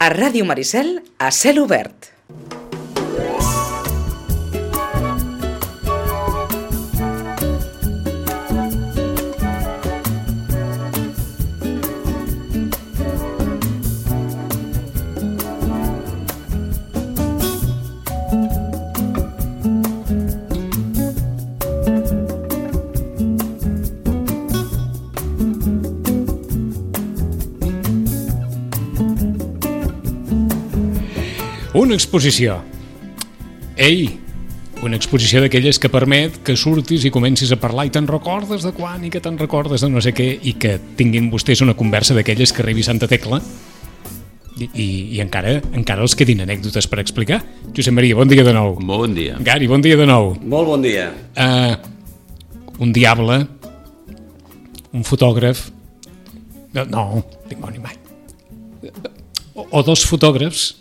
A Ràdio Maricel, a cel obert. Una exposició. Ei, una exposició d'aquelles que permet que surtis i comencis a parlar i te'n recordes de quan i que te'n recordes de no sé què i que tinguin vostès una conversa d'aquelles que arribi Santa Tecla i encara els quedin anècdotes per explicar. Josep Maria, bon dia de nou. Molt bon dia. Gari, bon dia de nou. Molt bon dia. Un diable, un fotògraf, no, dimoni mai, o dos fotògrafs,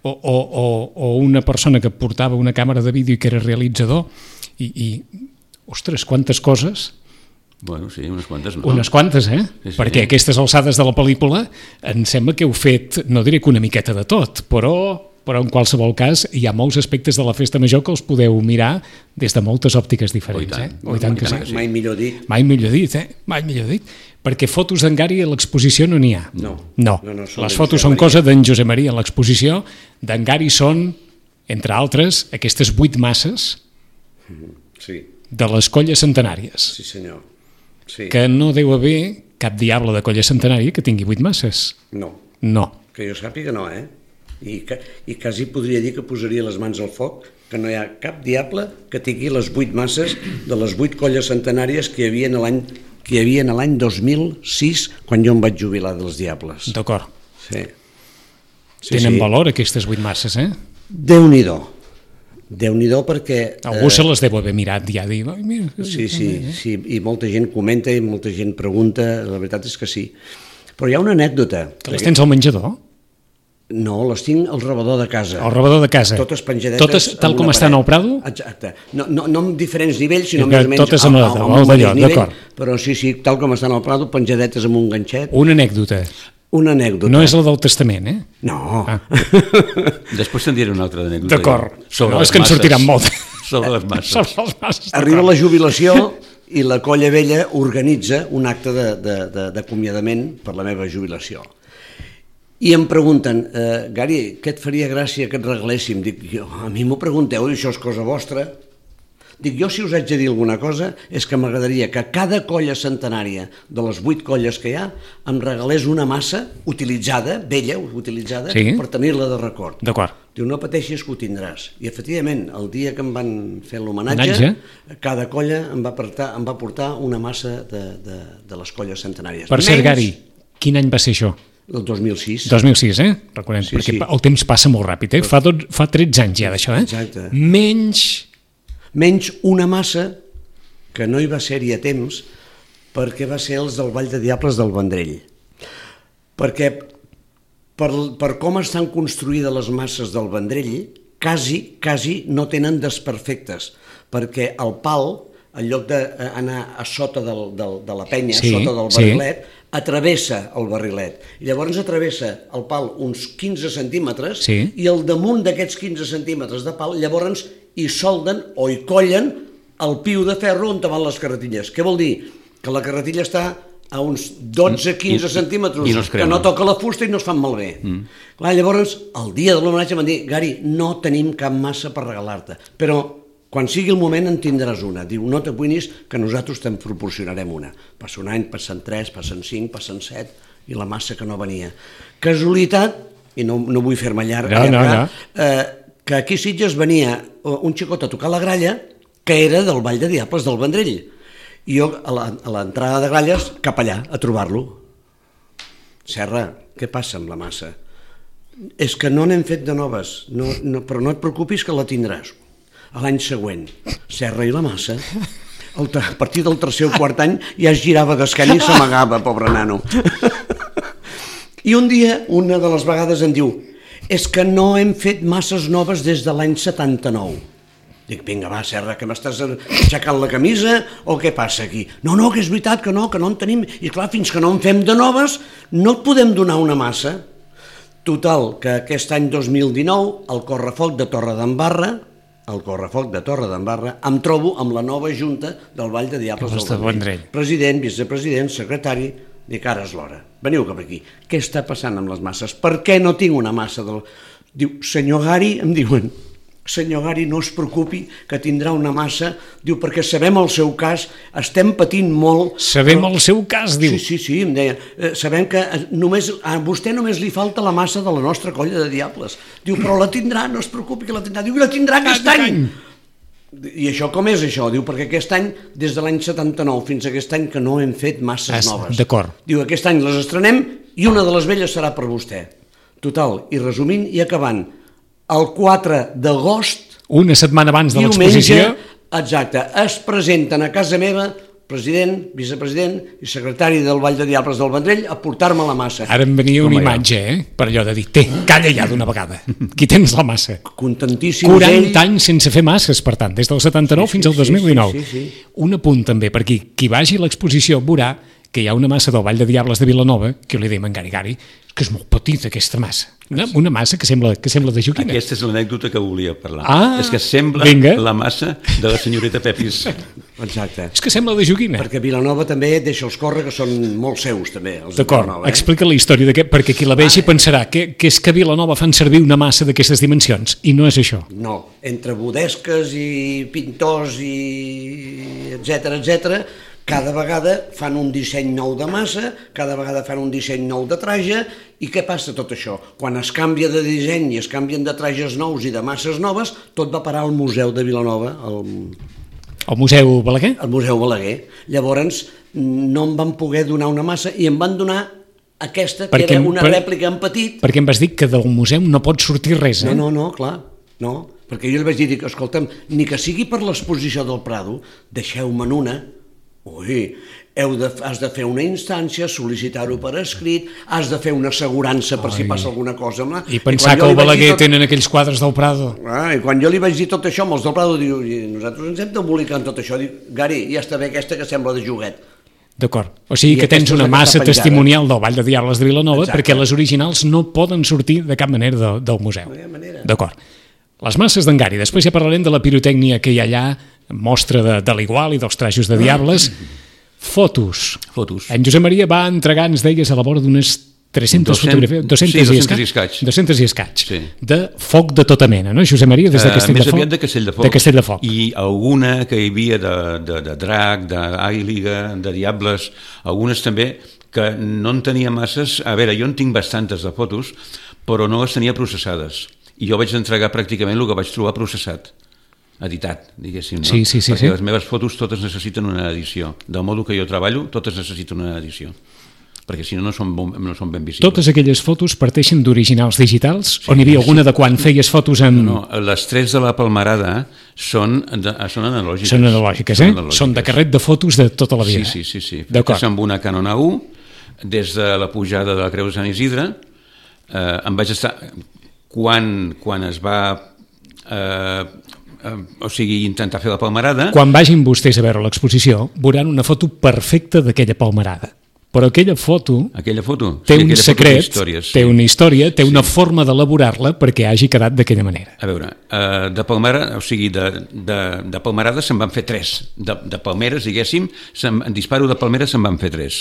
o una persona que portava una càmera de vídeo i que era realitzador i ostres, quantes coses. Bueno, sí, unes quantes, no? Unes quantes, Sí. Perquè a aquestes alçades de la pel·lícula em sembla que heu fet, no diré que una miqueta de tot, però en qualsevol cas hi ha molts aspectes de la festa major que els podeu mirar des de moltes òptiques diferents. Oh, i tant que sí. Mai millor dit. Mai millor dit. Perquè fotos d'en Gari a l'exposició no n'hi ha. No. Les fotos són cosa d'en Josep Maria a l'exposició. D'en Gari són, entre altres, aquestes 8 masses de les colles centenàries. Sí, senyor. Sí. Que no deu haver cap diable de colla centenària que tingui 8 masses. No. Que jo sàpiga no, I quasi podria dir que posaria les mans al foc que no hi ha cap diable que tingui les 8 masses de les 8 colles centenàries que hi havia l'any 2006 quan jo em vaig jubilar dels diables. D'acord. Sí. Tenen valor aquestes 8 masses, Déu-n'hi-do perquè... Algú se les deu haver mirat ja. Sí, i molta gent comenta i molta gent pregunta, la veritat és que sí. Però hi ha una anècdota. Que les tens al menjador? No, les tinc al rebedor de casa. Al rebedor de casa. Totes penjadetes. Totes tal com estan al Prado? Exacte. No amb diferents nivells, sinó més o menys totes amb el d'allò, d'acord. Però sí, tal com estan al Prado, penjadetes amb un ganxet. Una anècdota. No és la del testament, No. Després te'n diré una altra anècdota. D'acord. No, és que en sortiran molt. Sobre les masses. Arriba la jubilació i la colla vella organitza un acte d'acomiadament per la meva jubilació. I em pregunten, Gari, què et faria gràcia que et regaléssim? Dic, a mi m'ho pregunteu, això és cosa vostra. Dic, jo si us haig de dir alguna cosa és que m'agradaria que cada colla centenària de les 8 colles que hi ha em regalés una massa utilitzada, vella, utilitzada, per tenir-la de record. D'acord. Diu, no pateixis que ho tindràs. I efectivament, el dia que em van fer l'homenatge, cada colla em va portar una massa de les colles centenàries. Per cert, Gari, quin any va ser això? El 2006. 2006, recordem, perquè el temps passa molt ràpid, fa 13 anys ja d'això, Exacte. Menys una massa que no hi va ser-hi a temps perquè va ser els del Vall de Diables del Vendrell. Perquè per com estan construïdes les masses del Vendrell, quasi no tenen desperfectes, perquè el pal, en lloc d'anar a sota de la penya, sota del barrilet, atravessa el barrilet. I llavors atravessa el pal uns 15 centímetres i al damunt d'aquests 15 centímetres de pal llavors hi solden o hi collen el piu de ferro on van les carretilles. Què vol dir? Que la carretilla està a uns 12-15 centímetres que no toca la fusta i no es fan malbé. Clar, llavors, el dia de l'homenatge m'han dit, Gari, no tenim cap massa per regalar-te, però quan sigui el moment en tindràs una. Diu, no t'apuïnis que nosaltres te'n proporcionarem una. Passa un any, passen 3, passen 5, passen 7 i la massa que no venia. Casualitat, i no vull fer-me llarg, que aquí a Sitges venia un xicot a tocar la gralla que era del Vall de Diables del Vendrell. I jo a l'entrada de Gralles cap allà a trobar-lo. Serra, què passa amb la massa? És que no n'hem fet de noves, però no et preocupis que la tindràs. A l'any següent, Serra i la massa, a partir del tercer o quart any ja es girava d'esquena i s'amagava, pobre nano. I un dia, una de les vegades em diu, és que no hem fet masses noves des de l'any 79. Dic, vinga, va, Serra, que m'estàs aixecant la camisa o què passa aquí? No, que és veritat que no en tenim. I clar, fins que no en fem de noves no et podem donar una massa. Total, que aquest any 2019, al Correfoc de Torredembarra, em trobo amb la nova junta del Vall de Diables del Vendrell. President, vicepresident, secretari, dic, ara és l'hora, veniu cap aquí. Què està passant amb les masses? Per què no tinc una massa del... Diu, senyor Gari, em diuen, senyor Gari, no es preocupi que tindrà una massa, diu, perquè sabem el seu cas, estem patint molt... Sabem el seu cas, diu. Sí, em deia, sabem que a vostè només li falta la massa de la nostra colla de diables. Diu, però la tindrà, no es preocupi que la tindrà. Diu, la tindrà aquest any! I això com és això? Diu, perquè aquest any, des de l'any 79 fins a aquest any, que no hem fet masses noves. D'acord. Diu, aquest any les estrenem i una de les velles serà per vostè. Total, i resumint i acabant, el 4 d'agost... Una setmana abans de l'exposició... Exacte, es presenten a casa meva president, vicepresident i secretari del Vall de Diables del Vendrell a portar-me la massa. Ara em venia una imatge, per allò de dir, calla ja d'una vegada, aquí tens la massa. Contentíssim 40 anys sense fer masses, per tant, des del 79 fins al 2019. Sí. Un apunt també, perquè qui vagi a l'exposició veurà que hi ha una massa del Vall de Diables de Vilanova, que li dèiem en Gari, que és molt petita aquesta massa. Una massa que sembla de joguina. Aquesta és l'anècdota que volia parlar. És que sembla la massa de la senyoreta Pepis. Exacte. És que sembla de joguina. Perquè Vilanova també deixa els córrer, que són molt seus, també. D'acord, explica la història d'aquest, perquè qui la vegi pensarà que és que a Vilanova fan servir una massa d'aquestes dimensions, i no és això. No, entre bodesques i pintors i etcètera, cada vegada fan un disseny nou de massa, cada vegada fan un disseny nou de traje, i què passa tot això? Quan es canvia de disseny i es canvien de trajes nous i de masses noves, tot va parar al Museu de Vilanova, el Museu Balaguer? El Museu Balaguer. Llavors no em van poder donar una massa i em van donar aquesta, que era una rèplica en petit. Perquè em vas dir que del museu no pot sortir res, eh? No, clar, no. Perquè jo li vaig dir, escolta'm, ni que sigui per l'exposició del Prado, deixeu-me'n una. Ui, has de fer una instància, sol·licitar-ho per escrit, has de fer una assegurança per si passa alguna cosa. I pensar que el Balaguer tenen aquells quadres del Prado. I quan jo li vaig dir tot això, amb els del Prado, diu, nosaltres ens hem d'embolicar en tot això. Diu, Gari, ja està bé aquesta que sembla de joguet. D'acord, o sigui que tens una massa testimonial del Vall de Diables de Vilanova, perquè les originals no poden sortir de cap manera del museu. D'acord. Les masses d'en Gari, després ja parlarem de la pirotècnia que hi ha allà, mostra de l'igual i dels trajos de diables. Fotos. En Josep Maria va entregar, ens deies, a la vora d'unes 300 fotografies, 200 i escaig, de foc de tota mena, no, Josep Maria, des de Castell de Foc? Més aviat de Castell de Foc. I alguna que hi havia de drac, d'àguila, de diables, algunes també, que no en tenia masses. A veure, jo en tinc bastantes de fotos, però no les tenia processades. I jo vaig entregar pràcticament el que vaig trobar processat, editat, diguéssim, no? Sí. Perquè les meves fotos totes necessiten una edició. Del modo que jo treballo, totes necessiten una edició. Perquè si no, no són ben visibles. Totes aquelles fotos parteixen d'originals digitals? O n'hi havia alguna de quan feies fotos en... No, les 3 de la Palmerada són analògiques. Són analògiques, Són de carret de fotos de tota la vida. Sí. Fetes amb una Canon A1, des de la pujada de la Creu de Sant Isidre, em vaig estar... Quan es va intentar fer la palmerada... Quan vagin vostès a veure l'exposició, veuran una foto perfecta d'aquella palmerada. Però aquella foto té un secret, té una història, té una forma d'elaborar-la perquè hagi quedat d'aquella manera. A veure, de palmerada se'n van fer 3. De palmeres, diguéssim, en disparo de palmeres se'n van fer 3.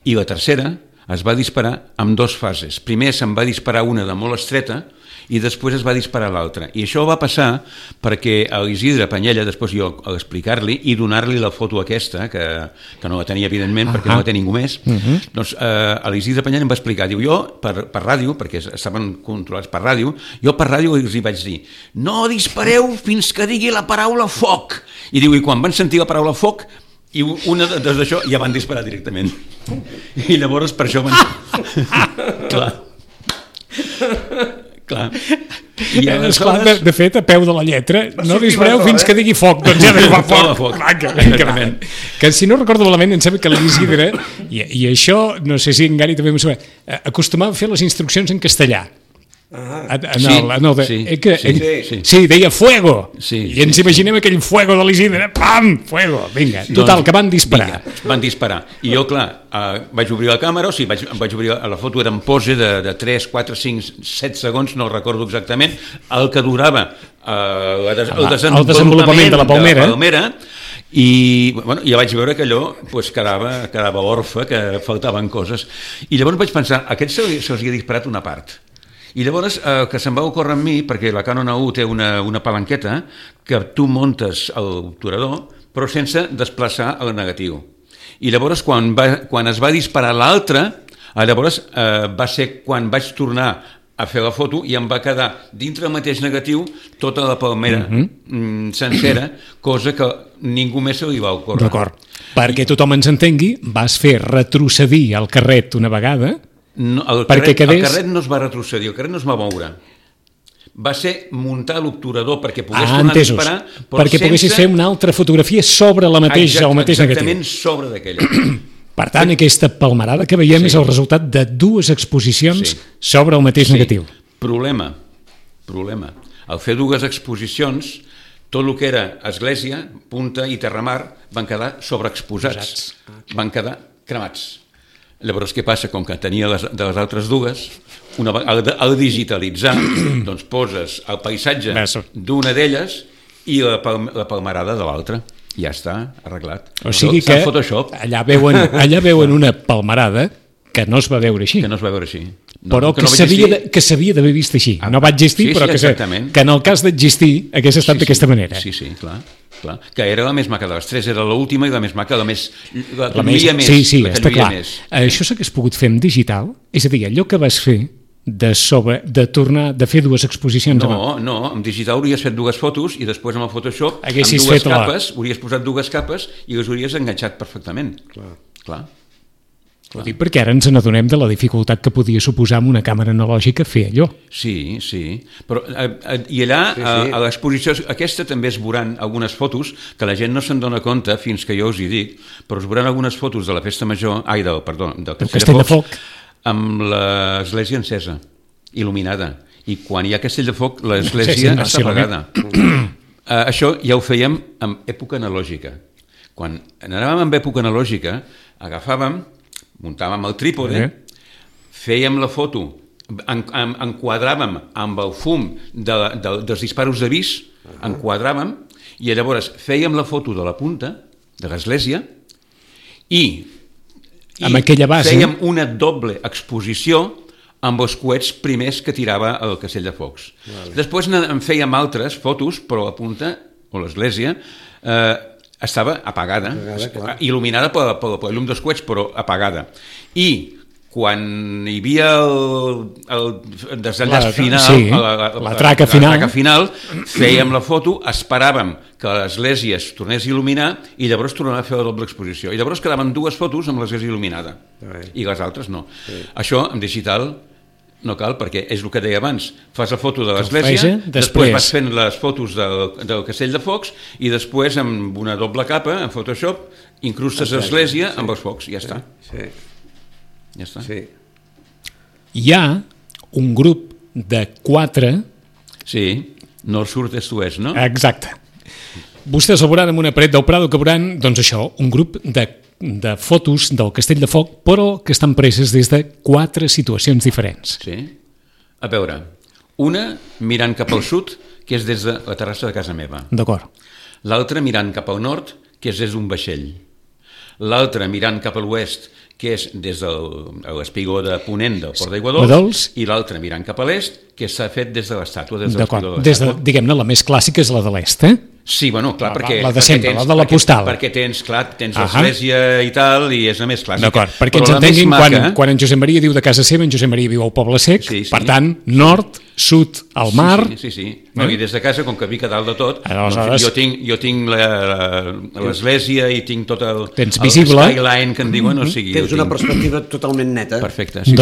I la tercera es va disparar en 2 fases. Primer se'n va disparar una de molt estreta i després es va disparar l'altra. I això va passar perquè a l'Isidre Panyella, després jo a explicar-li i donar-li la foto aquesta, que no la tenia evidentment perquè no la té ningú més, doncs a l'Isidre Panyella em va explicar, diu, jo per ràdio, perquè estaven controlats per ràdio, jo per ràdio els hi vaig dir, no dispareu fins que digui la paraula foc. I diu, i quan van sentir la paraula foc, i una d'això ja van disparar directament. I llavors per això van... Clar. Esclar, de fet, a peu de la lletra, no dispareu fins que digui foc, doncs ja va foc. Que si no recordo malament, em sembla que l'Isidre, i això, no sé si en Gari també m'ho sabia, acostumava a fer les instruccions en castellà. Sí, deia fuego. I ens imaginem aquell fuego de l'Isidre. Pam! Fuego! Vinga, total, que van disparar. Van disparar. I jo, clar, vaig obrir la càmera, vaig obrir la foto, era en pose de 3, 4, 5, 7 segons, no recordo exactament, el que durava el desenvolupament de la palmera. I ja vaig veure que allò quedava orfe, que faltaven coses. I llavors vaig pensar, a aquest se'ls havia disparat una part. I llavors que se'm va ocórrer amb mi, perquè la Canon A1 té una palanqueta que tu montes l'obturador però sense desplaçar el negatiu. I llavors quan es va disparar l'altre, llavors va ser quan vaig tornar a fer la foto i em va quedar dintre el mateix negatiu tota la palmera sencera, cosa que ningú més se li va ocórrer. D'acord. Perquè tothom ens entengui, vas fer retrocedir el carret una vegada. No, el carret no es va retrocedir, el carret no es va moure. Va ser muntar l'obturador perquè pogués tornar a disparar, però perquè poguessis fer una altra fotografia sobre el mateix negatiu. Exactament sobre d'aquella. Per tant, aquesta palmerada que veiem és el resultat de dues exposicions sobre el mateix negatiu. Problema. Al fer dues exposicions, tot el que era església, punta i terramar van quedar sobreexposats, van quedar cremats. Llavors, què passa? Com que tenia de les altres dues, al digitalitzar, doncs poses el paisatge d'una d'elles i la palmerada de l'altra. Ja està, arreglat. O sigui que allà veuen una palmerada que no es va veure així. Que no es va veure així. Però que s'havia d'haver vist així. No va existir, però que en el cas d'existir hagués estat d'aquesta manera. Sí, clar. Que era la més maca de les tres, era l'última i la més maca, la que lluïa més. Sí, està clar. Això s'hagués pogut fer en digital? És a dir, allò que vas fer de tornar, de fer dues exposicions... No, en digital hauries fet dues fotos i després amb el Photoshop, amb dues capes, hauries posat dues capes i les hauries enganxat perfectament. Clar. Ho dic perquè ara ens n'adonem de la dificultat que podia suposar amb una càmera analògica fer allò. Sí. Però, i allà, a l'exposició aquesta també es veuran algunes fotos que la gent no se'n dona compte fins que jo us hi dic, però es veuran algunes fotos de la festa major, del Castell de Foc, amb l'església encesa, il·luminada. I quan hi ha Castell de Foc, l'església està apagada. Això ja ho fèiem en època analògica. Quan anàvem en època analògica, muntàvem el trípode, fèiem la foto, enquadràvem amb el fum dels disparos d'avís, enquadràvem, i llavors fèiem la foto de la punta de l'església i amb aquella base fèiem una doble exposició amb els coets primers que tirava el Castell de Focs. Després en fèiem altres fotos, però la punta, o l'església, estava apagada, il·luminada per la llum dels coets, però apagada. I quan hi havia el desenllaç final, la traca final, fèiem la foto, esperàvem que l'església es tornés a il·luminar i llavors tornàvem a fer la doble exposició. I llavors quedaven dues fotos amb l'església il·luminada i les altres no. Això en digital no cal, perquè és el que deia abans, fas la foto de l'església, després vas fent les fotos del Castell de Focs i després amb una doble capa, en Photoshop, incrustes l'església amb els focs, ja està. Ja està. Hi ha un grup de 4... Sí, nord, sud, est, oest, no? Exacte. Vostès el veuran en una paret del Prado que veuran, doncs això, un grup de fotos del Castell de Foc, però que estan preses des de 4 situacions diferents. Sí. A veure, una mirant cap al sud, que és des de la terrassa de casa meva. D'acord. L'altra mirant cap al nord, que és des d'un vaixell. L'altra mirant cap a l'oest, que és des de l'espigó de Ponent del Port d'Aiguadols, i l'altra mirant cap a l'est, que s'ha fet des de l'estàtua, des de l'espigó de l'estàtua. Diguem-ne, la més clàssica és la de l'est, Sí, bueno, clar, perquè... La de sempre, la de la postal. Perquè tens l'església i tal, i és la més clàssica. D'acord, perquè ens entenguin, quan en Josep Maria diu de casa seva, en Josep Maria viu al Poble Sec, per tant, nord, sud, al mar... Sí. No, i des de casa, com que vic a dalt de tot, jo tinc l'església i tinc tot el skyline que en diuen, o sigui... Tens una perspectiva totalment neta. Perfecte, sí,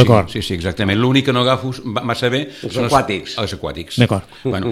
exactament. L'únic que no agafo massa bé són els aquàtics. Els aquàtics. D'acord. Una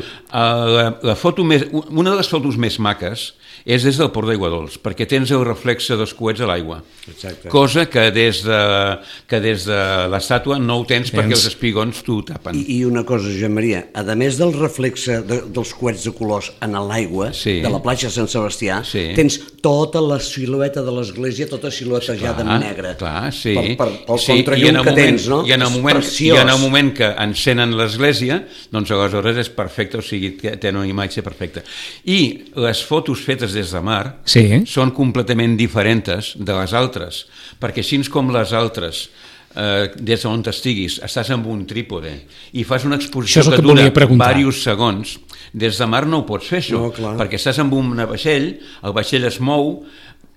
de les fotos fotos més maques és des del port d'Aiguadols, perquè tens el reflexe dels coets a l'aigua. Exacte. Cosa que des de l'estàtua no ho tens perquè els espigons t'ho tapen. I una cosa, Josep Maria, a més del reflexe dels coets de colors en l'aigua, Sí. de la platja de Sant Sebastià, Sí. tens tota la silueta de l'església, tota siluetejada en negre. Clar, sí. Pel Sí, contrallum que tens, no? I en el És moment, preciós. i en el moment que encenen l'església, doncs aleshores és perfecte, o sigui, té una imatge perfecta. I les fotos fetes des de mar Sí. són completament diferents de les altres, perquè així com les altres, des d'on estiguis, estàs amb un trípode i fas una exposició Això és el que que et dura volia preguntar. diversos segons, des de mar no ho pots fer, això, No, clar. perquè estàs amb un vaixell, el vaixell es mou,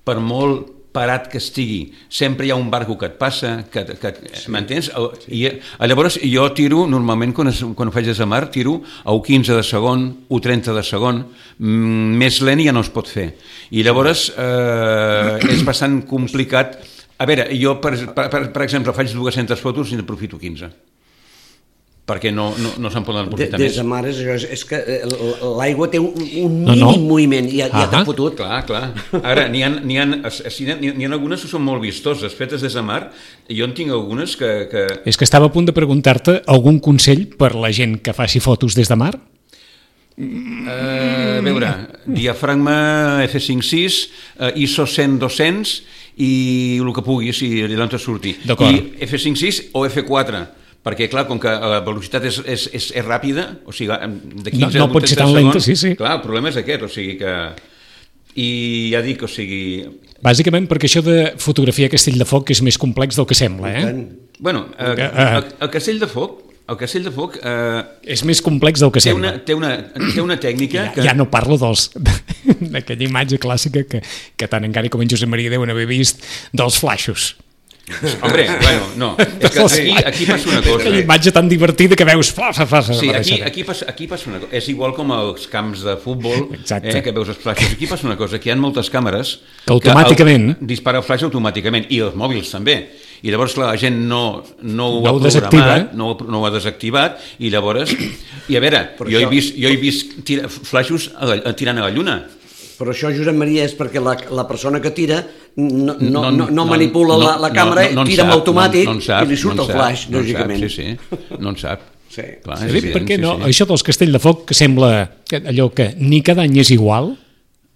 per molt parat que estigui, sempre hi ha un barco que et passa, m'entens? I llavors jo tiro, normalment quan ho faig des de mar, tiro a 1,15 de segon, 1,30 de segon, més lent ja no es pot fer. I llavors és bastant complicat. A veure, jo, per exemple, faig 200 fotos i n'aprofito 15. Perquè no se'n poden aprofitar Des més. de mar és que l'aigua té un No, mínim no. moviment i ja t'ha fotut. Clar. Ara, n'hi ha algunes que són molt vistoses, fetes des de mar, i jo en tinc algunes que... És que estava a punt de preguntar-te algun consell per la gent que faci fotos des de mar? A veure, diafragma F5.6, ISO 100-200 i el que pugui, si allà on te surti. D'acord. I F5.6 o F4, perquè clar, com que la velocitat és ràpida, o sigui, de 15 No pot ser tan segons, lenta, sí. Clar, el problema és aquest, o sigui que... I ja dic, o sigui... Bàsicament perquè això de fotografia a Castell de Foc és més complex del que sembla, eh? Bueno, el Castell de Foc És més complex del que té sembla. una tècnica que... Ja no parlo d'aquella imatge clàssica que tant en Gary com en Josep Maria deuen haver vist dels flaixos. Hombre, bueno, no, és que aquí passa una cosa. Aquella imatge tan divertida que veus... Sí, aquí passa una cosa. És igual com als camps de futbol, que veus els flaixos. Aquí passa una cosa, que hi ha moltes càmeres que automàticament dispara el flaix automàticament, i els mòbils també. I llavors la gent no ho ha desactiva, programat, no ho ha desactivat, i llavors... I a veure, jo he vist flaixos tirant a la lluna. Però això, Josep Maria, és perquè la persona que tira no manipula la càmera, tira amb automàtic i li surt el flaix, lògicament. Sí, no en sap. Sí. Clar, per què no? Això dels Castell de Foc que sembla allò que ni cada any és igual,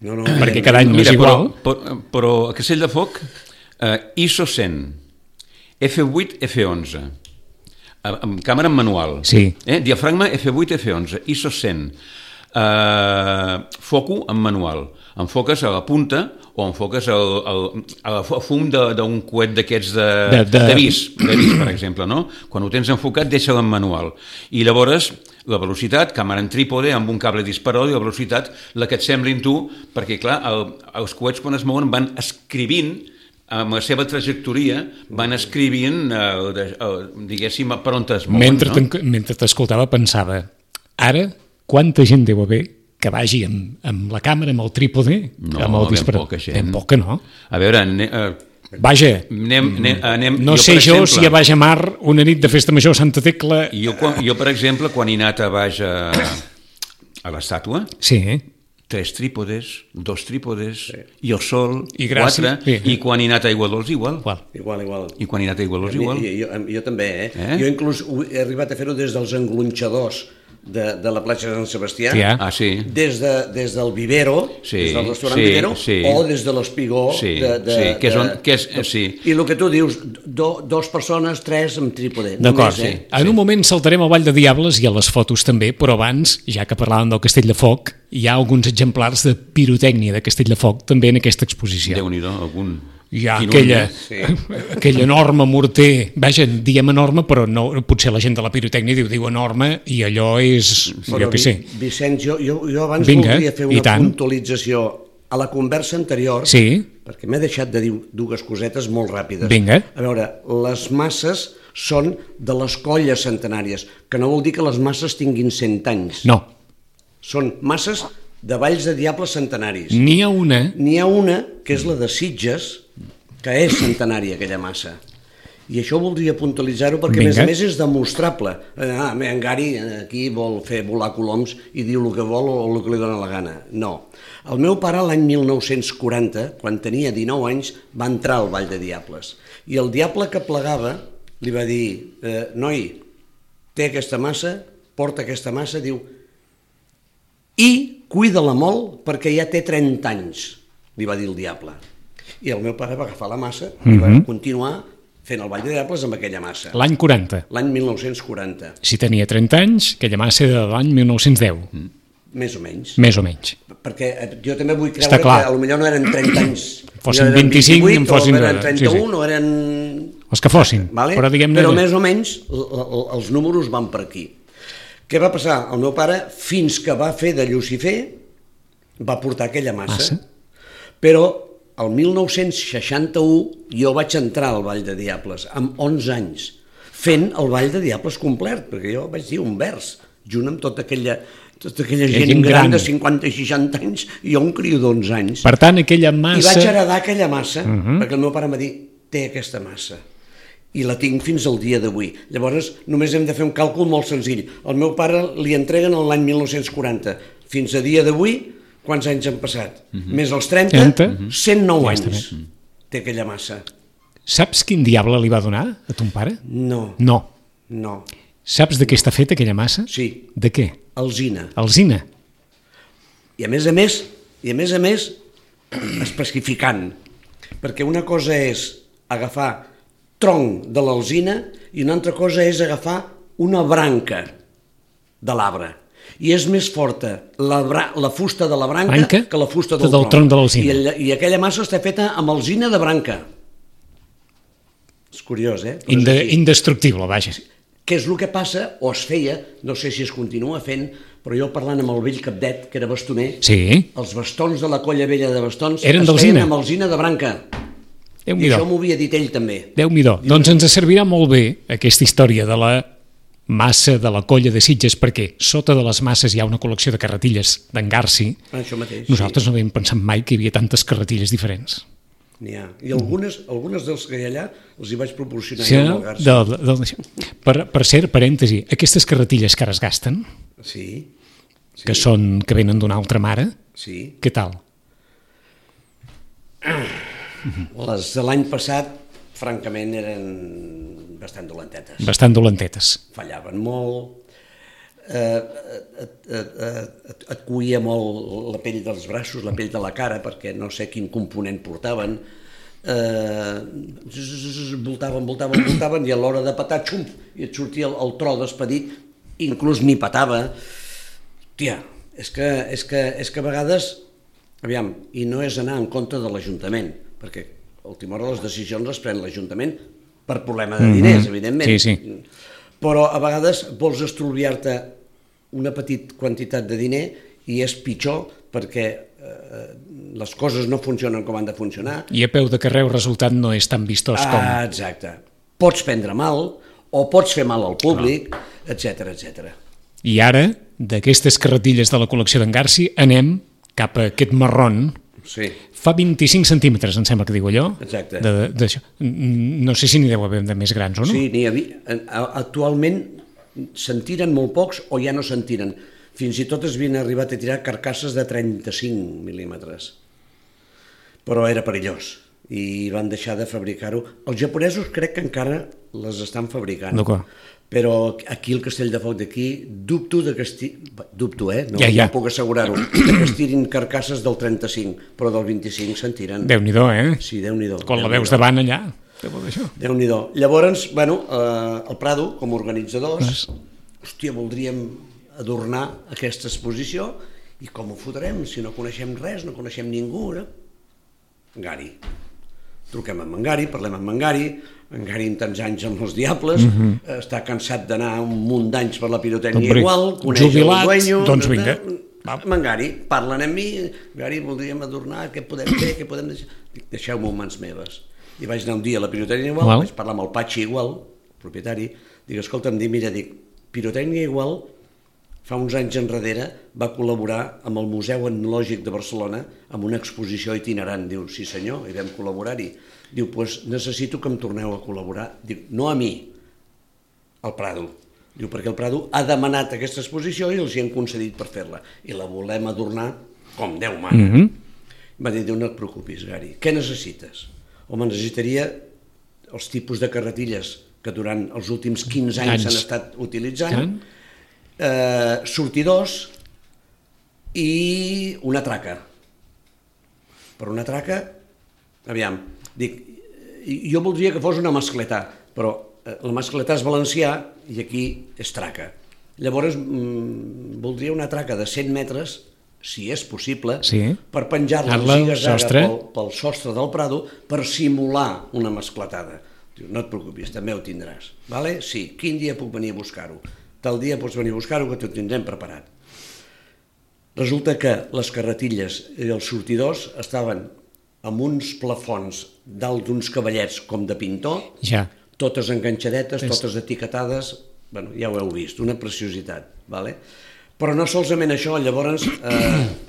perquè cada any no és igual. Però a Castell de Foc, ISO 100, F8, F11, amb càmera en manual, diafragma F8, F11, ISO 100, foco en manual, enfoques a la punta o enfoques al fum d'un coet d'aquests de vis, per exemple, no? Quan ho tens enfocat, deixa-lo en manual. I llavors, la velocitat, càmera en trípode, amb un cable disparador, i la velocitat, la que et semblin tu, perquè, clar, els coets quan es mouen van escrivint, amb la seva trajectòria, van escrivint, diguéssim, per on es mouen. Mentre t'escoltava pensava, ara, quanta gent deu haver que vagi amb la càmera, amb el trípode, amb el disparador? Ben poca, no? A veure, vaja, anem, no sé jo si a Baix a Mar, una nit de festa major a Santa Tecla... Jo, per exemple, quan he anat a Baix a l'estàtua, 3 trípodes, 2 trípodes, i el sol, 4, i quan he anat a Aiguadols, igual. Igual. I quan he anat a Aiguadols, igual. Jo també, Jo inclús he arribat a fer-ho des dels englonxadors de la platja de Sant Sebastià, des del vivero, des del restaurant Vivero, o des de l'espigó. I el que tu dius, 2 persones, 3 amb trípode. D'acord, en un moment saltarem al Vall de Diables i a les fotos també, però abans, ja que parlàvem del Castell de Foc, hi ha alguns exemplars de pirotècnia de Castell de Foc també en aquesta exposició. Déu-n'hi-do, algun... Hi ha aquell enorme morter, vaja, diem enorme, però no, potser la gent de la pirotècnia diu enorme, i allò és, jo què sé. Vicenç, jo abans voldria fer una puntualització a la conversa anterior, perquè m'he deixat de dir 2 cosetes molt ràpides. A veure, les masses són de les colles centenàries, que no vol dir que les masses tinguin 100 anys. No. Són masses de Valls de Diables centenaris. N'hi ha una que és la de Sitges, que és centenària aquella massa. I això voldria puntualitzar-ho perquè, a més és demostrable. En Gary aquí vol fer volar coloms i diu el que vol o el que li dóna la gana. No. El meu pare l'any 1940, quan tenia 19 anys, va entrar al Vall de Diables. I el diable que plegava li va dir, noi, té aquesta massa, porta aquesta massa, diu, i cuida-la molt perquè ja té 30 anys, li va dir el diable. I el meu pare va agafar la massa i va continuar fent el Vall de Diables amb aquella massa. L'any 40. L'any 1940. Si tenia 30 anys, aquella massa era de l'any 1910. Més o menys. Més o menys. Perquè jo també vull creure que potser no eren 30 anys. Fossin 25, en fossin... O eren 31, o eren... Els que fossin. Però més o menys els números van per aquí. Què va passar? El meu pare, fins que va fer de Llucifer, va portar aquella massa. Però el 1961 jo vaig entrar al Vall de Diables, amb 11 anys, fent el Vall de Diables complet, perquè jo vaig dir un vers, junt amb tota aquella gent gran de 50 i 60 anys, i jo un criu d'11 anys. Per tant, aquella massa... I vaig heredar aquella massa, perquè el meu pare em va dir, té aquesta massa. I la tinc fins al dia d'avui. Llavors, només hem de fer un càlcul molt senzill. El meu pare li entreguen l'any 1940. Fins a dia d'avui, quants anys han passat? Més els 30, 109 anys té aquella massa. Saps quin diable li va donar a ton pare? No. Saps de què està feta aquella massa? Sí. De què? Alzina. Alzina. I a més a més, especificant, perquè una cosa és agafar tronc de l'alzina i una altra cosa és agafar una branca de l'arbre. I és més forta la fusta de la branca que la fusta del tronc de l'alzina. I aquella massa està feta amb alzina de branca. És curiós, Indestructible, vaja. Què és el que passa, o es feia, no sé si es continua fent, però jo parlant amb el vell Capdet, que era bastoner, els bastons de la colla vella de bastons es feien amb alzina de branca. I això m'ho havia dit ell també. Déu-n'hi-do. Doncs ens servirà molt bé aquesta història de la massa de la colla de Sitges, perquè sota de les masses hi ha una col·lecció de carretilles d'en Garci. Això mateix. Nosaltres no havíem pensat mai que hi havia tantes carretilles diferents. N'hi ha. I algunes dels que hi ha allà els hi vaig proporcionar jo amb el Garci. Per cert, parèntesi, aquestes carretilles que ara es gasten, que venen d'una altra mare, què tal? Les de l'any passat, francament, eren bastant dolentetes. Bastant dolentetes. Fallaven molt, et coïa molt la pell dels braços, la pell de la cara, perquè no sé quin component portaven, voltaven, i a l'hora de petar, xum, i et sortia el tro despedit, inclús ni petava. Tia, és que a vegades, aviam, i no és anar en contra de l'Ajuntament, perquè a última hora les decisions les pren l'Ajuntament per problema de diners, evidentment. Però a vegades vols estalviar-te una petita quantitat de diner i és pitjor perquè les coses no funcionen com han de funcionar. I a peu de carrer el resultat no és tan vistós com... Exacte. Pots prendre mal o pots fer mal al públic, etc. I ara, d'aquestes carretilles de la col·lecció d'en Garci, anem cap a aquest marron. Sí. Fa 25 centímetres, em sembla que diu allò. Exacte. No sé si n'hi deu haver de més grans o no. Sí, n'hi havia. Actualment se'n tiren molt pocs o ja no se'n tiren. Fins i tot es havien arribat a tirar carcasses de 35 mil·límetres. Però era perillós i van deixar de fabricar-ho. Els japonesos crec que encara les estan fabricant. D'acord. Però aquí al Castell de Foc d'aquí dubto no puc assegurar-ho, que es tirin carcasses del 35, però del 25 se'n tiren. Déu-n'hi-do, Sí, Déu-n'hi-do. Quan la veus davant allà, Déu-n'hi-do. Llavors, el Prado, com a organitzadors, voldríem adornar aquesta exposició, i com ho fotrem si no coneixem res, no coneixem ningú, Gary. Truquem amb en Gary, parlem amb en Gary en tants anys amb els Diables, està cansat d'anar un munt d'anys per la pirotècnia igual, coneix el dueño... Doncs vinga. Amb en Gary, parlen amb mi, Gary, voldríem adornar, què podem fer, què podem deixar? Deixeu-me en mans meves. I vaig anar un dia a la pirotècnia igual, vaig parlar amb el Patxi igual, propietari, dic, escolta'm, pirotècnia igual, fa uns anys enrere va col·laborar amb el Museu Etnològic de Barcelona amb una exposició itinerant. Diu, sí senyor, hi vam col·laborar-hi. Diu, doncs necessito que em torneu a col·laborar. Diu, no a mi, al Prado. Diu, perquè el Prado ha demanat aquesta exposició i els hi han concedit per fer-la. I la volem adornar com Déu mana. Va dir, no et preocupis, Gari, què necessites? Home, necessitaria els tipus de carretilles que durant els últims 15 anys s'han estat utilitzant, sortidors i una traca. Per una traca, aviam, dic, jo voldria que fos una mascletà, però la mascletà és valencià i aquí és traca. Llavors, voldria una traca de 100 metres, si és possible, per penjar-la en ziga-zaga pel sostre del Prado per simular una mascletada. Diu, no et preocupis, també ho tindràs. Vale? Sí, quin dia puc venir a buscar-ho? Tal dia pots venir a buscar-ho que t'ho tindrem preparat. Resulta que les carretilles i els sortidors estaven amb uns plafons dalt d'uns cavallets com de pintor, totes enganxadetes, totes etiquetades, bueno, ja ho heu vist, una preciositat. Vale? Però no solament això, llavors,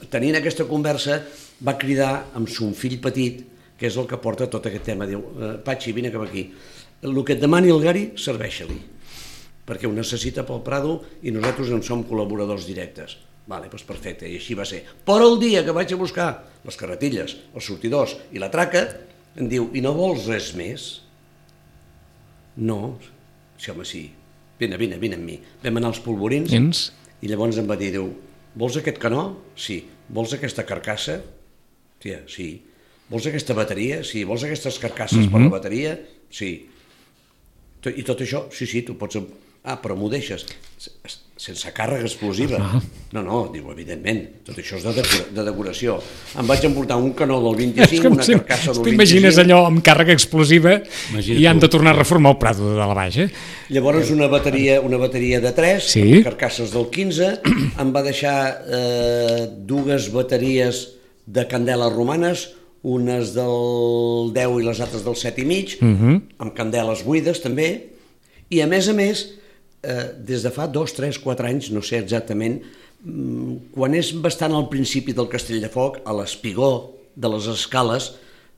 tenint aquesta conversa, va cridar amb son fill petit, que és el que porta tot aquest tema. Diu, Patxi, vine cap aquí. El que et demani el Gari, serveix-li, perquè ho necessita pel Prado i nosaltres en som col·laboradors directes. Vale, doncs perfecte, i així va ser. Però el dia que vaig a buscar les carretilles, els sortidors i la traca, em diu, i no vols res més? No. Sí, home, sí. Vine amb mi. Vam anar als polvorins. I llavors em va dir, diu, vols aquest canó? Sí. Vols aquesta carcassa? Tia, sí. Vols aquesta bateria? Sí. Vols aquestes carcasses per la bateria? Sí. I tot això? Sí, tu pots... Ah, però m'ho deixes sense càrrega explosiva. No, diu, evidentment, tot això és de decoració. Em vaig emportar un canó del 25, una carcassa del 25... T'imagines allò amb càrrega explosiva i han de tornar a reformar el Prado de la Baixa. Llavors una bateria de 3, carcasses del 15, em va deixar 2 bateries de candeles romanes, unes del 10 i les altres del 7,5, amb candeles buides també, i a més, des de fa 2, 3, 4 anys, no sé exactament, quan és bastant al principi del Castell de Foc, a l'espigó de les escales,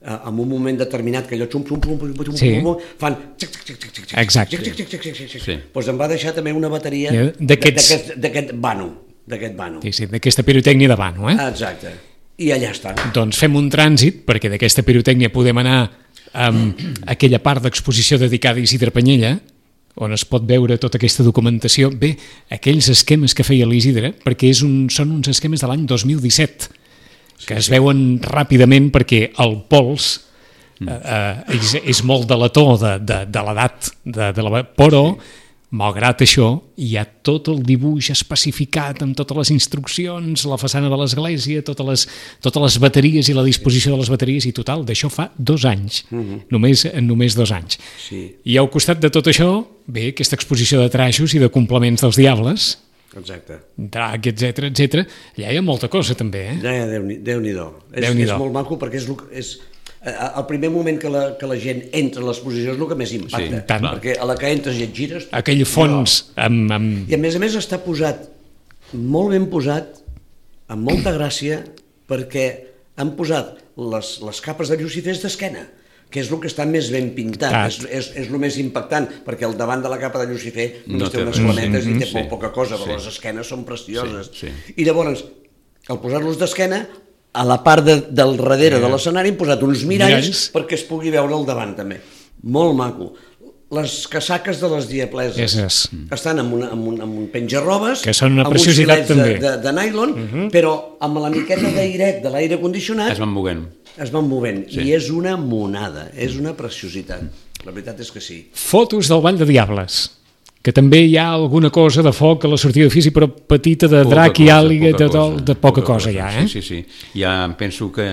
en un moment determinat que allò fan exacte. Doncs em va deixar també una bateria d'aquest vano. Sí, d'aquesta pirotècnia de vano, Exacte, i allà està. Doncs fem un trànsit, perquè d'aquesta pirotècnia podem anar a aquella part d'exposició dedicada a Isidre Panyella, on es pot veure tota aquesta documentació. Bé, aquells esquemes que feia l'Isidre, perquè són uns esquemes de l'any 2017, que es veuen ràpidament perquè el pols és molt delator de l'edat, però, malgrat això, hi ha tot el dibuix especificat amb totes les instruccions, la façana de l'església, totes les bateries i la disposició de les bateries, i total, d'això fa 2 anys, només 2 anys. I al costat de tot això, ve aquesta exposició de traixos i de complements dels diables, drac, etc. Allà hi ha molta cosa també, Déu-n'hi-do. És molt maco perquè és el primer moment que la gent entra a l'exposició és el que més impacta, perquè a la que entres i et gires... Aquell fons... I a més està posat, molt ben posat, amb molta gràcia, perquè han posat les capes de Llucifers d'esquena, que és el que està més ben pintat, és el més impactant, perquè al davant de la capa de Llucifer només té unes flametes i té molt poca cosa, però les esquenes són precioses. I llavors, al posar-los d'esquena, a la part del darrere de l'escenari hem posat uns miralls perquè es pugui veure al davant també. Molt maco. Les casaques de les diapleses estan amb un penjarrobes, que són una preciositat també, amb uns filets de nylon, però amb la miqueta d'airet de l'aire condicionat es van movent. I és una monada, és una preciositat. La veritat és que sí. Fotos del Ball de Diables, que també hi ha alguna cosa de foc a la sortida d'ofici, però petita, de drac i àliga, de poca cosa ja, Sí. Ja penso que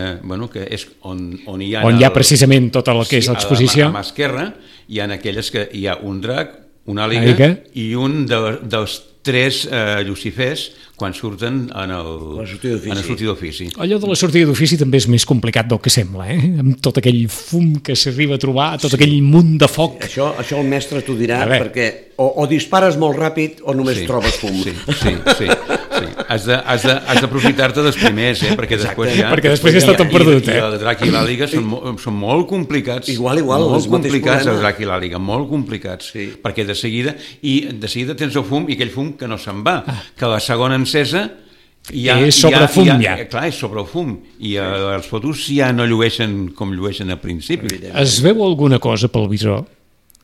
és on hi ha... On hi ha precisament tot el que és l'exposició. A mà esquerra hi ha aquelles que hi ha un drac, una àliga i un dels 3 Lucifers quan surten en la sortida d'ofici. Allò de la sortida d'ofici també és més complicat del que sembla, amb tot aquell fum que s'arriba a trobar, tot aquell munt de foc. Això el mestre t'ho dirà, perquè o dispares molt ràpid o només trobes fum. Sí. has d'aprofitar-te dels primers, perquè després ja... Perquè després ja està tot perdut, I el Drac i l'Àliga són molt complicats. Igual, molt complicats el Drac i l'Àliga, molt complicats. Sí. Perquè de seguida tens el fum i aquell fum que no se'n va, que la segona encesa és sobre fum, ja. Clar, és sobre el fum. I els fotos ja no llueixen com llueixen al principi. Es veu alguna cosa pel visor?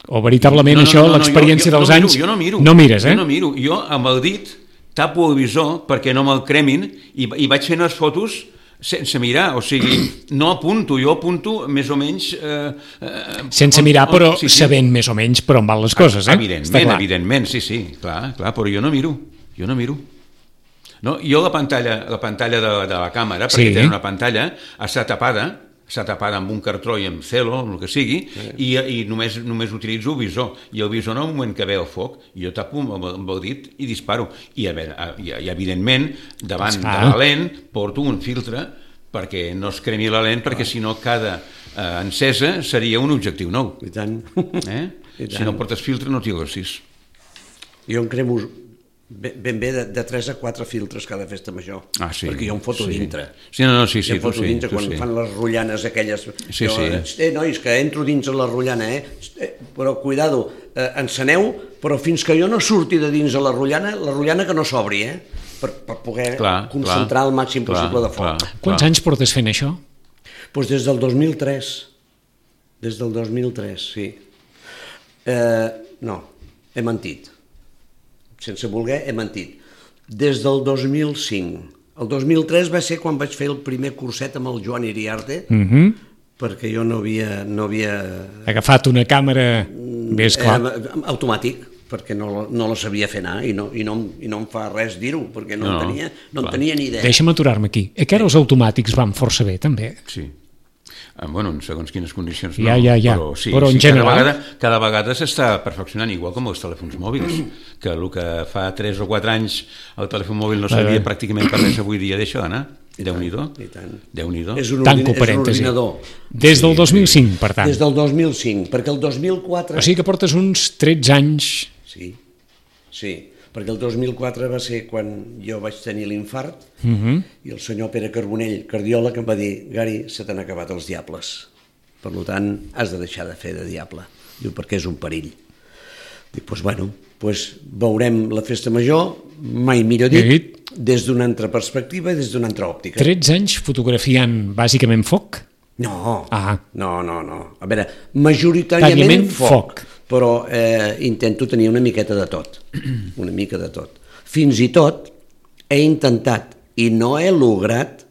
O veritablement això, l'experiència dels anys... Jo no miro. No mires, eh? Jo no miro. Jo, amb el dit, tapo el visor perquè no me'l cremin i vaig fent les fotos sense mirar. O sigui, no apunto, jo apunto més o menys... sense mirar, però sabent més o menys per on van les coses, eh? Evidentment, sí, clar, però jo no miro. No, jo la pantalla de la càmera, perquè té una pantalla, està tapada amb un cartró i amb celo, el que sigui, i només utilitzo el visor. I el visor, en el moment que ve el foc, jo tapo amb el dit i disparo. I evidentment, davant de la lent, porto un filtre perquè no es cremi la lent, perquè si no cada encesa seria un objectiu nou. I tant. Si no portes filtre no t'hi agossis. Jo en cremo ben bé de 3 a 4 filtres cada festa major, perquè jo em foto dintre. Sí, jo em foto dintre quan fan les rotllanes aquelles. Nois, que entro dins la rotllana, però cuidado, enceneu, però fins que jo no surti de dins de la rotllana que no s'obri, per poder concentrar el màxim possible de foc. Quants anys portes fent això? Doncs des del 2003. Des del 2003, sí. No, he mentit. Sense voler, he mentit. Des del 2005. El 2003 va ser quan vaig fer el primer curset amb el Joan Iriarte, perquè jo no havia... Agafat una càmera més clar. Automàtic, perquè no la sabia fer anar i no em fa res dir-ho, perquè no en tenia ni idea. Deixa'm aturar-me aquí. Que ara els automàtics van força bé, també. Sí. Bueno, en segons quines condicions no, però en general cada vegada s'està perfeccionant, igual com els telèfons mòbils, que el que fa 3 o 4 anys el telèfon mòbil no sabia pràcticament per res, avui dia deixa d'anar. Déu-n'hi-do. És un ordinador. Des del 2005, per tant. Des del 2005, perquè el 2004... O sigui que portes uns 13 anys... Sí, perquè el 2004 va ser quan jo vaig tenir l'infart i el senyor Pere Carbonell, cardiòleg, em va dir: Gari, se t'han acabat els diables, per tant has de deixar de fer de diable. Diu, perquè és un perill. Dic, doncs veurem la festa major, mai millor dit, des d'una altra perspectiva i des d'una altra òptica. 13 anys fotografiant bàsicament foc? No. A veure, majoritàriament foc. Però intento tenir una miqueta de tot, una mica de tot. Fins i tot he intentat i no he lograt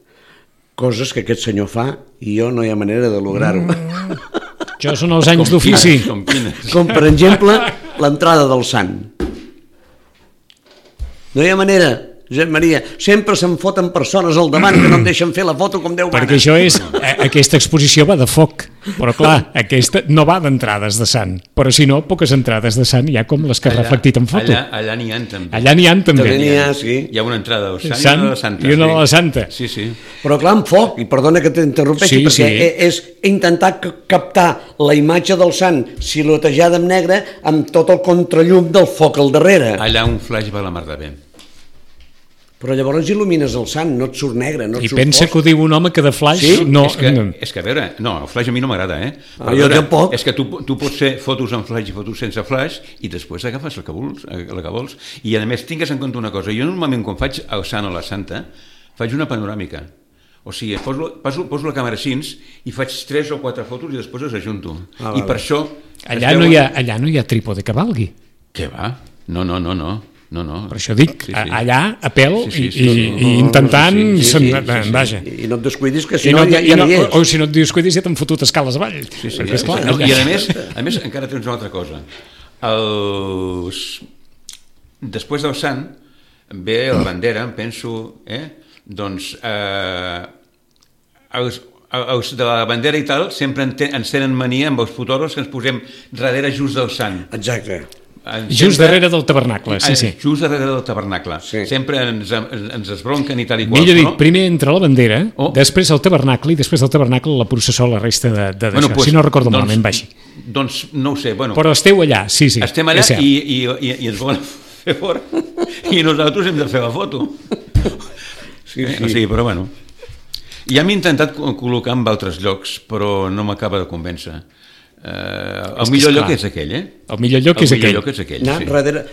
coses que aquest senyor fa i jo no hi ha manera de lograr-ho. Això són els anys d'ofici. Com per exemple l'entrada del sant. No hi ha manera. Josep Maria, sempre se'm foten persones al davant que no em deixen fer la foto com Déu mana. Perquè això és, aquesta exposició va de foc, però clar, aquesta no va d'entrades de sant, però si no, poques entrades de sant hi ha com les que has reflectit en foto. Allà n'hi ha també. Allà n'hi ha també. Hi ha una entrada del sant i una de la santa. I una de la santa. Sí. Però clar, amb foc, i perdona que t'interrompeixi, perquè és intentar captar la imatge del sant silotejada en negre amb tot el contrallum del foc al darrere. Allà un flaix va la mar de bé. Però llavors il·lumines el sant, no et surt negre, no et surt fosc. I pensa que ho diu un home que de flaix... Sí? No, és que a veure, no, el flaix a mi no m'agrada, Jo tampoc. És que tu pots fer fotos amb flaix i fotos sense flaix i després agafes el que vols. I a més, tingues en compte una cosa, jo normalment quan faig el sant o la santa, faig una panoràmica. O sigui, poso la càmera així i faig 3 o 4 fotos i després les ajunto. I per això... Allà no hi ha trípode que valgui. Què va? No. Per això dic, allà a pèl i intentant... Vaja. I no et descuidis, que si no ja no hi ets. O si no et descuidis ja t'han fotut escales avall. I a més encara tens una altra cosa. Després del sant ve la bandera, em penso, doncs els de la bandera i tal sempre ens tenen mania amb els fotògrafs que ens posem darrere just del sant. Exacte. Just darrere del tabernacle, sí. Just darrere del tabernacle. Sempre ens esbronquen i tal i qual. Millor dit, primer entra la bandera, després el tabernacle i després del tabernacle la processó, la resta d'això. Si no recordo malament, va així. Doncs no ho sé. Però esteu allà, sí. Estem allà i ens volen fer fora i nosaltres hem de fer la foto. Sí, sí. O sigui, però bueno. Ja m'he intentat col·locar en altres llocs, però no m'acaba de convèncer. El millor lloc és aquell, El millor lloc és aquell. El millor lloc és aquell, Anar sí. darrere,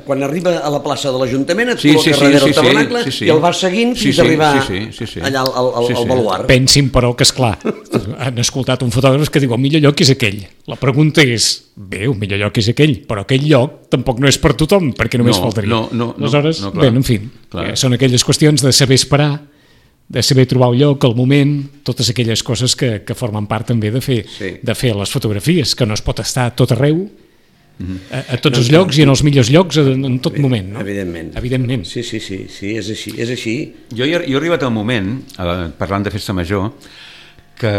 quan arriba a la plaça de l'Ajuntament et Sí, col·loca sí, darrere sí, el tabernacle i el vas seguint fins a arribar allà al baluart. Pensin, però, que esclar, han escoltat un fotògraf que diu el millor lloc és aquell. La pregunta és, bé, el millor lloc és aquell, però aquell lloc tampoc no és per tothom, perquè només faltaria. Aleshores, bé, en fi, són aquelles qüestions de saber esperar, de saber trobar un lloc, el moment, totes aquelles coses que formen part també de fer les fotografies, que no es pot estar a tot arreu, a tots els llocs i en els millors llocs en tot moment, no? Evidentment. Sí, és així. Jo he arribat al moment, parlant de festa major, que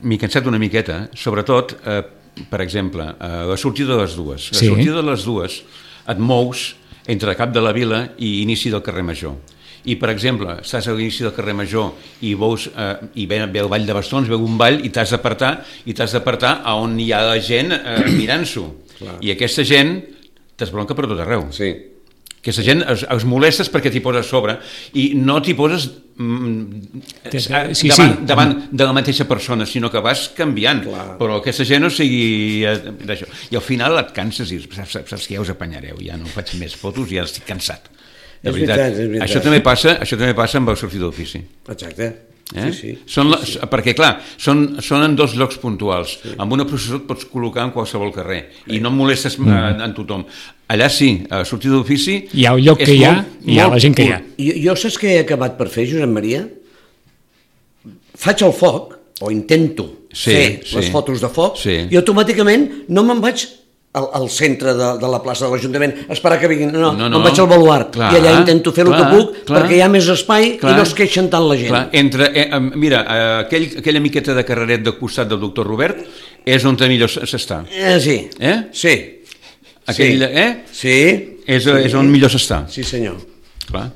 m'he cansat una miqueta, sobretot, per exemple, la sortida de les dues. La sortida de les dues et mous entre cap de la vila i inici del carrer Major. I, per exemple, estàs a l'inici del carrer Major i veus, i ve el ball de bastons, veu un ball i t'has d'apartar a on hi ha la gent mirant-s'ho. I aquesta gent t'esbronca per tot arreu. Sí. Aquesta gent els molestes perquè t'hi poses a sobre i no t'hi poses davant de la mateixa persona, sinó que vas canviant. Però aquesta gent no sigui d'això. I al final et canses i dius, saps que ja us apanyareu, ja no faig més fotos, ja estic cansat. De veritat. Això també passa amb el sortir d'ofici. Exacte. Sí. Perquè, clar, són en dos llocs puntuals. Amb una processó et pots col·locar en qualsevol carrer i no molestes en tothom. Allà sí, a sortir d'ofici... Hi ha el lloc que hi ha i hi ha la gent que hi ha. Jo saps què he acabat per fer, Josep Maria? Faig el foc, o intento fer les fotos de foc, i automàticament no me'n vaig al centre de la plaça de l'Ajuntament, esperar que vinguin, no, em vaig al baluart, i allà intento fer el que puc, perquè hi ha més espai i no es queixen tant la gent. Mira, aquella miqueta de carreret del costat del doctor Robert és on millor s'està. Sí. Sí. Sí. És on millor s'està. Sí, senyor. Clar.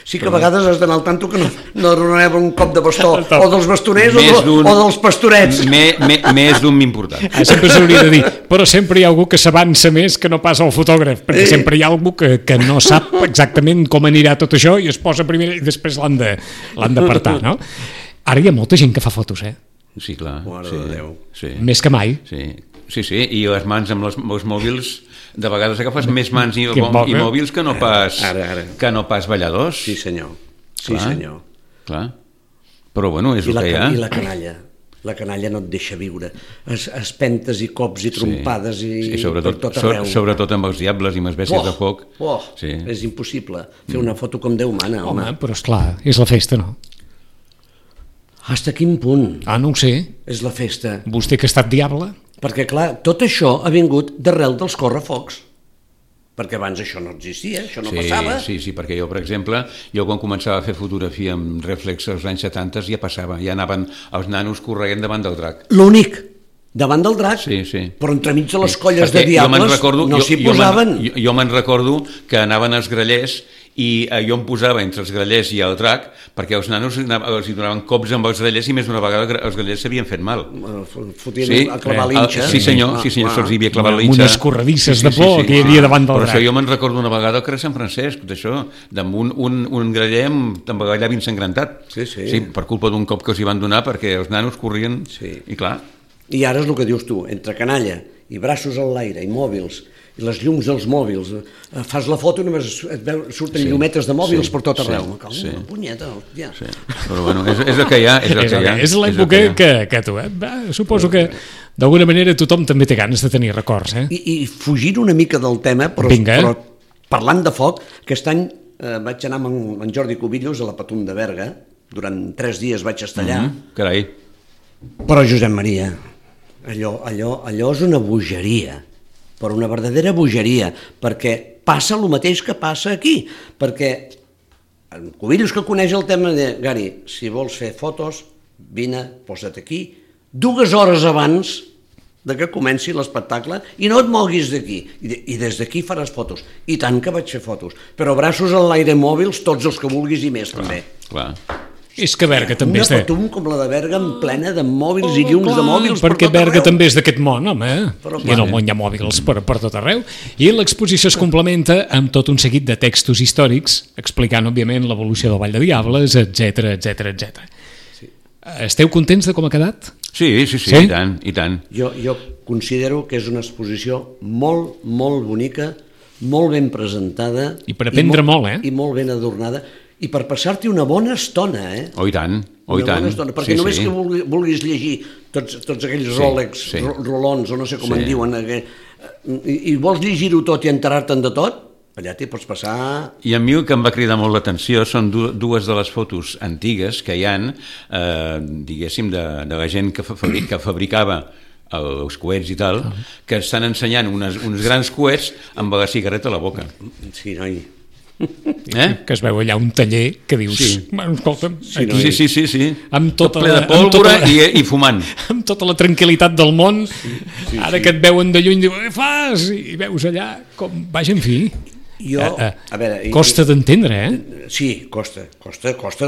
Sí que a vegades has d'anar al tanto que no donarem un cop de bastó o dels bastoners o dels pastorets. Més d'un m'important. Sempre s'hauria de dir, però sempre hi ha algú que s'avança més que no pas el fotògraf, perquè sempre hi ha algú que no sap exactament com anirà tot això i es posa primer i després l'han d'apartar, no? Ara hi ha molta gent que fa fotos, Sí, clar. Mare de Déu. Més que mai. Sí, i les mans amb els mòbils, de vegades agafes més mans i mòbils que no pas balladors. Sí, senyor. Sí, senyor. Clar. Però bueno, és el que hi ha. I la canalla. La canalla no et deixa viure. Espentes i cops i trompades i per tot arreu. Sobretot amb els diables i amb les bèsties de foc. És impossible fer una foto com Déu mana, home. Però esclar, és la festa, no? Hasta quin punt? No ho sé. És la festa. Vostè que ha estat diable? Perquè, clar, tot això ha vingut d'arrel dels correfocs. Perquè abans això no existia, això no passava. Sí, perquè jo, per exemple, quan començava a fer fotografia amb reflex als anys 70 ja passava, ja anaven els nanos corregent davant del drac. L'únic, davant del drac, sí. Però entremig de les colles de diables no s'hi posaven. Jo me'n recordo que anaven els grallers i jo em posava entre els grallers i el drac perquè els nanos els donaven cops amb els grallers i més d'una vegada els grallers s'havien fet mal. Fotien a clavar l'inxa. Sí senyor, se'ls havia clavat l'inxa. Unes corredisses de por que hi havia davant del drac. Per això jo me'n recordo una vegada al carrer Sant Francesc, d'això, amb un graller amb el llavi ensangrentat. Sí, per culpa d'un cop que els hi van donar perquè els nanos corrien i clar. I ara és el que dius tu, entre canalla i braços en l'aire i mòbils i les llums dels mòbils, fas la foto i només surten llumetes de mòbils per tot arreu. Me cago en una punyeta, hòstia. Però bueno, és el que hi ha. És l'època que tu, suposo que d'alguna manera tothom també té ganes de tenir records. I fugint una mica del tema, però parlant de foc, aquest any vaig anar amb en Jordi Cubillos a la Patum de Berga, durant 3 dies vaig estar allà. Carai. Però Josep Maria, allò és una bogeria, però una verdadera bogeria, perquè passa el mateix que passa aquí, perquè en Cubillos, que coneix el tema, de Gari, si vols fer fotos, vine, posa't aquí, 2 hores abans de que comenci l'espectacle i no et moguis d'aquí, i des d'aquí faràs fotos. I tant que vaig fer fotos, però braços en l'aire, mòbils, tots els que vulguis i més també. Clar. És que Berga també Una és de... patum com la de Berga plena de mòbils i llums de mòbils per perquè tot Berga arreu. també és d'aquest món, home. Però I en el món hi ha mòbils per tot arreu. I l'exposició es complementa amb tot un seguit de textos històrics, explicant, òbviament, l'evolució del Vall de Diables, etc. Esteu contents de com ha quedat? Sí, Sí? i tant, i tant. Jo considero que és una exposició molt bonica, molt ben presentada. I per aprendre molt, eh? I molt ben adornada. I per passar-t'hi una bona estona, eh? Oh, i tant, oh, i Una bona tant. estona, perquè només que vulguis llegir tots aquells Rolex, Rolons, o no sé com en diuen, i vols llegir-ho tot i enterar-te'n de tot, allà t'hi pots passar... I a mi el que em va cridar molt l'atenció són dues de les fotos antigues que hi han, diguéssim, de la gent que fabricava els coets i tal, que estan ensenyant uns grans coets amb la cigarreta a la boca. Sí, noi. Que es veu allà un taller que dius, bueno, escolta'm, aquí, Sí. amb Tot tota ple la, de pólvora i fumant. amb tota la tranquil·litat del món, ara que et veuen de lluny, diu, què fas? I veus allà com... Vaja, en fi, Jo, a veure... costa d'entendre, eh? Sí, costa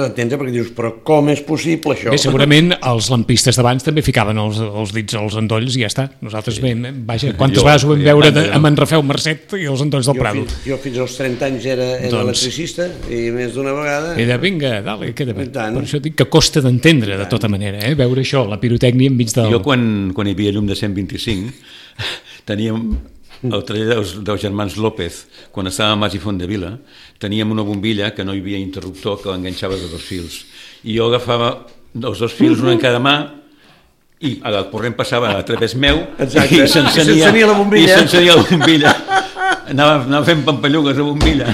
d'entendre, perquè dius, però com és possible això? Bé, segurament els lampistes d'abans també ficaven els dits als endolls i ja està. Nosaltres, vaja, quantes vegades ho vam veure amb en Rafeu Marcet i els endolls del Prado. Jo fins als 30 anys era electricista i més d'una vegada... I de vinga, dale, queda bé. tant. Per això dic que costa d'entendre de tota manera, veure això, la pirotècnia enmig del... Jo quan hi havia llum de 125 teníem el taller dels germans López, quan estava a Mas i Fontdevila, teníem una bombilla que no hi havia interruptor, que l'enganxava de 2 fils. I jo agafava els 2 fils, un en cada mà, i el corrent passava a través meu i s'encenia la bombilla. Anava fent pampallugues a bombilla.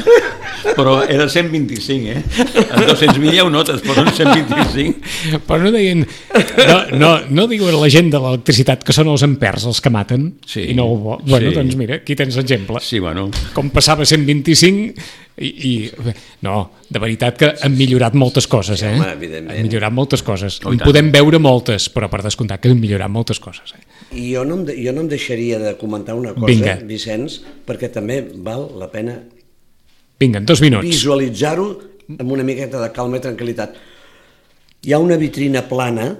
Però era 125, eh? Els 220 ja ho notes, però no 125. Però no deien... No diuen la gent de l'electricitat que són els ampers els que maten? Sí. I no, bueno, doncs mira, aquí tens l'exemple. Sí, bueno. Com passava 125 no, de veritat que han millorat moltes coses, eh? Home, evidentment. Han millorat moltes coses. Oh, En podem veure moltes, però per descomptat que han millorat moltes coses, eh? I jo no em deixaria de comentar una cosa, Vinga. Vicenç, perquè també val la pena Vinga, en 2 minuts. visualitzar-ho amb una miqueta de calma i tranquil·litat. Hi ha una vitrina plana,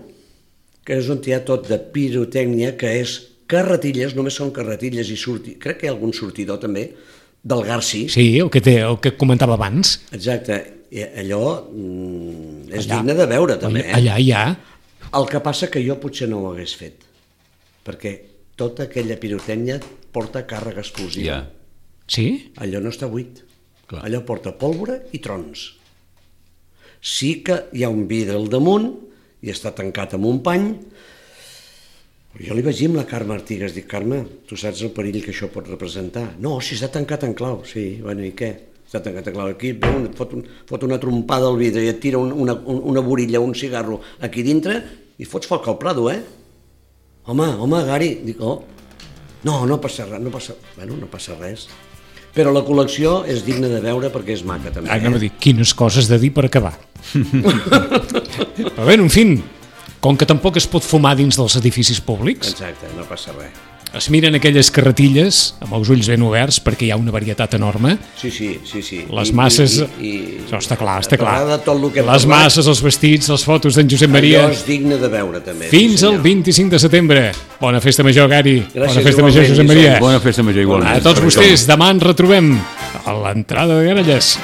que és on hi ha tot de pirotècnia, que és carretilles, només són carretilles i crec que hi ha algun sortidor també, del Garci. Sí, el que comentava abans. Exacte, i allò és digne de veure també. Allà hi ha. El que passa que jo potser no ho hagués fet, perquè tota aquella pirotècnia porta càrrega explosiva. Ja. Sí? Allò no està buit. Clar. Allò porta pólvora i trons. Sí que hi ha un vidre al damunt i està tancat amb un pany. Jo li vaig dir amb la Carme Artigas, dic, Carme, tu saps el perill que això pot representar? No, si està tancat en clau. Sí, bueno, i què? Està tancat en clau. Aquí et fot una trompada al vidre i et tira una borilla, un cigarro aquí dintre i fots foc al Prado, eh? Home, Gari. Dic, no passa res, no passa res. Però la col·lecció és digna de veure perquè és maca també. Anem a dir, quines coses de dir per acabar. Però bé, en fi, com que tampoc es pot fumar dins dels edificis públics, Exacte, no passa res. es miren aquelles carretilles amb els ulls ben oberts perquè hi ha una varietat enorme. Sí. Les masses... Això està clar. Les masses, els vestits, les fotos d'en Josep Maria... Allò és digne de veure també. Fins al 25 de setembre. Bona festa major, Gari. Gràcies, Bona festa major, Josep Maria. Bona festa major igualment. A tots vostès, demà ens retrobem a l'entrada de Garelles.